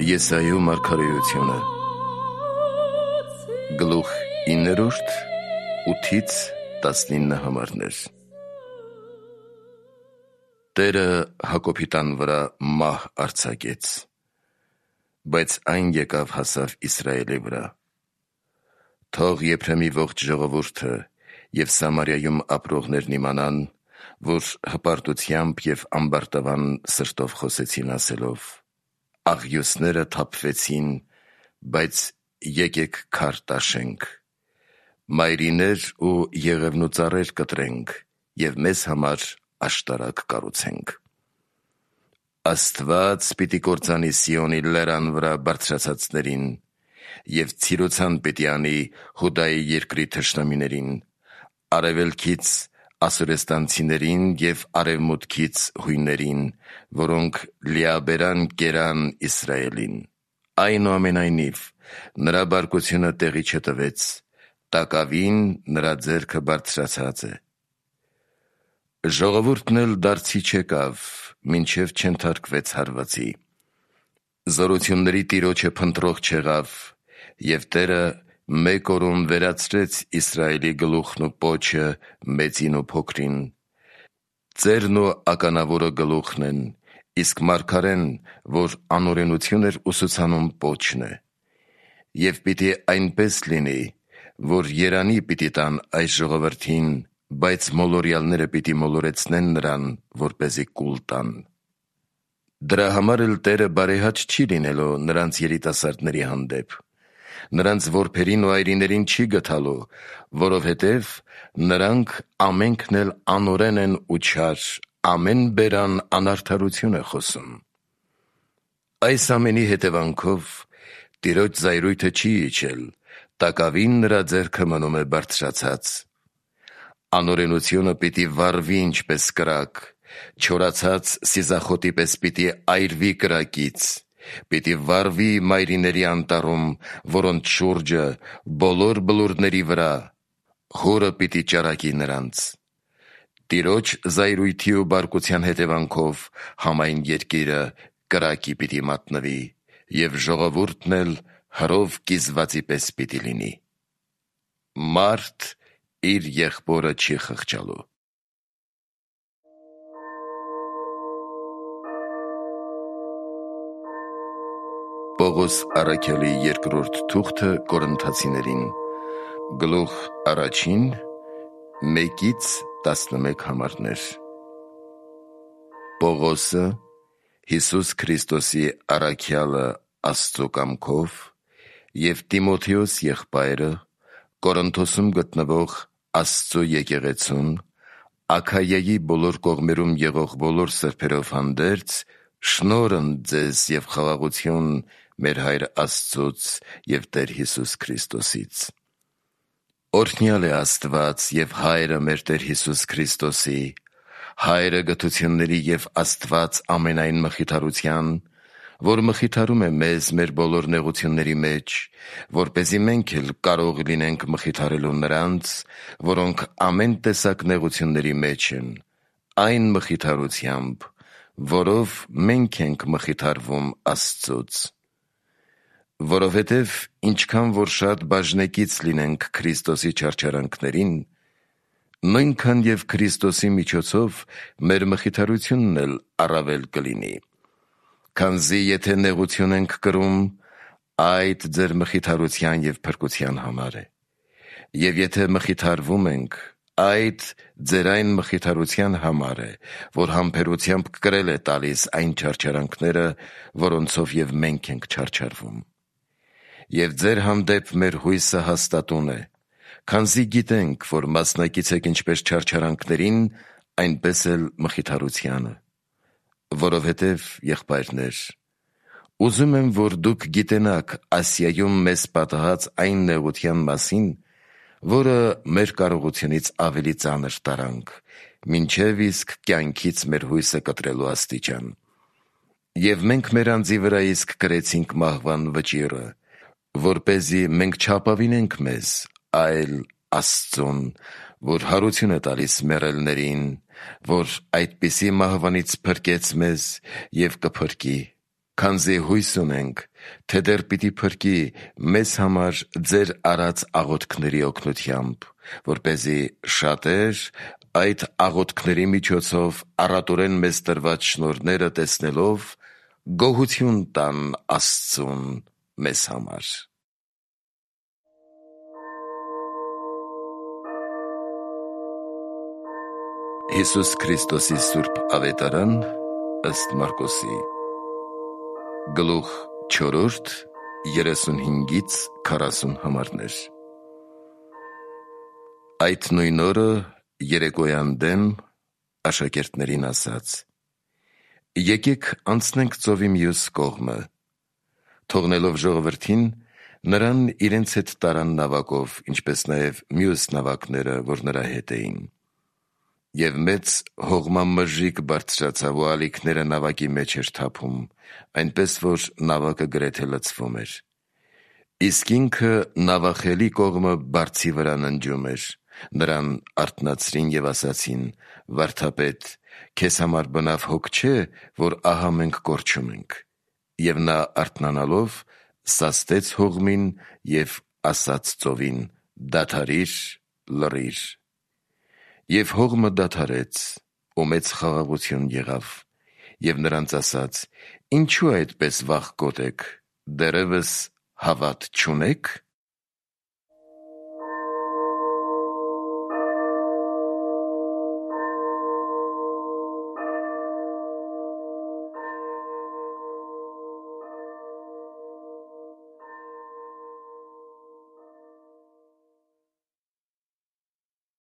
Եսայու մարգարեությունը գլուխ 9, 8-ից 19 համարներ։ Տերը Հակոբի տան վրա մահ արձակեց, բայց այն եկավ հասավ Իսրայելի վրա։ Թող Եփրեմի ողջ ժողովուրդը և Սամարիայում ապրողներն իմանան, որ հպարտությամբ և ամբարտավան սրտով խոսեցին ասելով. աղյուսները թափվեցին, բայց եկեք քար տաշենք, մայրիներ ու եղևնու կտրենք և մեզ համար աշտարակ կառուցենք։ Աստված պիտի կործանի Սիոնի լեռան վրա բարձրացածներին և ցիրուցան պիտի անի Հուդայի երկրի թշնամիներին, արևելքից ասորեստանցիներին և արևմուտքից հույներին, որոնք լիաբերան կերան Իսրայելին։ Այնուամենայնիվ, նրա բարկությունը տեղի չտվեց, տակավին նրա ձեռքը բարձրացած է։ Ժողովուրդն էլ դարձի չեկավ, մինչև չենթարկվեց հարվածի։ Զորությունների Տիրոջը փնտրող չեղավ, և Տերը մեկ օրում վերացրեց Իսրայելի գլուխն ու պոչը մեծին ու փոքրին։ Ծերն ու ականավորը գլուխն են, իսկ մարգարեն, որ անօրենություն էր ուսուցանում, պոչն է։ Եվ պիտի այնպես լինի, որ երանի պիտի տան այս ժողովրդին, բայց մոլորյալները պիտի մոլորեցնեն նրան, որպեսզի կուլ տան։ Դրա համար էլ Տերը բարեհաճ չի լինելու նրանց երիտասարդների հանդեպ, նրանց որբերին ու այրիներին չի գթալու, որովհետև նրանք ամենքն էլ անօրեն են ու չար, ամեն բերան անարդարություն է խոսում։ Այս ամենի հետևանքով Տիրոջ զայրույթը չի իջել, տակավին նրա ձեռքը մնում է բարձրացած։ Անօրենությունը պիտի վառվի ինչպես կրակ, չորացած սիզախոտի պես պիտի այրվի կրակից, պիտի վառվի մայրիների անտառում, որոնց շուրջը բոլոր բլուրների վրա, հորը պիտի ճարակի նրանց։ Տիրոջ զայրույթի ու բարկության հետևանքով համայն երկիրը կրակի պիտի մատնվի, և ժողովուրդն էլ հրով կիզվածի պես պիտի լինի։ Մարդ իր եղբորը չի խղճալու։ Պողոս առաքյալի երկրորդ թուղթը Կորինթացիներին, գլուխ 1, 1-ից 11 համարներ։ Պողոսը, Հիսուս Քրիստոսի առաքյալը Աստծու կամքով, և Տիմոթեոս եղբայրը, Կորինթոսում գտնվող Աստծու եկեղեցուն, Աքայայի բոլոր կողմերում եղող բոլոր սրբերով հանդերձ, շնորհ ընդ ձեզ և խաղաղություն մեր Հայր Աստծուց և Տեր Հիսուս Քրիստոսից։ Օրհնյալ է Աստված և Հայրը մեր Տեր Հիսուս Քրիստոսի, Հայրը գթությունների և Աստված ամենայն մխիթարության, որ մխիթարում է մեզ մեր բոլոր նեղությունների մեջ, որպեսզի մենք էլ կարող լինենք մխիթարելու նրանց, որոնք ամեն տեսակ նեղությունների մեջ են, այն մխիթարությամբ, որով մենք ենք մխիթարվում Աստծուց։ Որովհետև ինչքան որ շատ բաժնեկից լինենք Քրիստոսի չարչարանքներին, նույնքան և Քրիստոսի միջոցով մեր մխիթարությունն էլ առավել կլինի։ Քանզի եթե նեղություն ենք կրում, այդ ձեր մխիթարության և փրկության համար է, և եթե մխիթարվում ենք, այդ ձեր այն մխիթարության համար է, որ համբերությամբ կրել է տալիս այն չարչարանքները, որոնցով և մենք ենք չարչարվում։ Եվ ձեր հանդեպ մեր հույսը հաստատուն է, քանզի գիտենք, որ մասնակից եք ինչպես չարչարանքներին, այնպես էլ մխիթարությանը։ Որովհետև, եղբայրներ, ուզում եմ, որ դուք գիտենաք Ասիայում մեզ պատահած այն նեղության մասին, որը մեր կարողությունից ավելի ծանր տարանք, մինչև իսկ կյանքից մեր հույսը կտրելու աստիճան։ Եվ մենք մեր անձի վրա իսկ կրեցինք մահվան վճիռը, որպեսզի մենք չապավինենք մեզ, այլ Աստծուն, որ հարություն է տալիս մեռելներին, որ այդպիսի մահվանից փրկեց մեզ և կփրկի, քանզի հույս ունենք, թե դեռ պիտի փրկի մեզ համար ձեր արած աղոթքների օգնությամբ, որպեսզի շատեր այդ աղոթքների միջոցով առատորեն մեզ տրված շնորհները տեսնելով գոհություն տան Աստծուն մեզ համար։ Հիսուս Քրիստոսի Սուրբ Ավետարան ըստ Մարկոսի գլուխ 4 35-ից 40 համարներ։ Այդ նույն օրը երեկոյան դեմ աշակերտներին ասաց. «Եկեք անցնենք ծովի մյուս կողմը»։ Թողնելով ժողովրդին, նրան իրենց հետ տարան նավակով, ինչպես նաև մյուս նավակները, որ նրա հետ էին։ Եվ մեծ հողմամժիկ բարձրացավ ու ալիքները նավակի մեջ էր թափում, այնպես որ նավակը գրեթե լցվում էր։ Իսկ ինքը նավախելի կողմը բարձի վրա ննջում էր։ Նրան արթնացրին և ասացին. «Վարդապետ, քեզ համար բնավ հոգ չէ, որ ահա մենք կորչում ենք»։ Եվ նա արթնանալով սաստեց հողմին և ասաց ծովին. «Դադարի՛ր, լռի՛ր»։ Եվ հողմը դադարեց, ու մեծ խաղաղություն եղավ։ Եվ նրանց ասաց. «Ինչո՞ւ այդպես վախկոտ եք, դեռևս հավատ չունե՞ք»։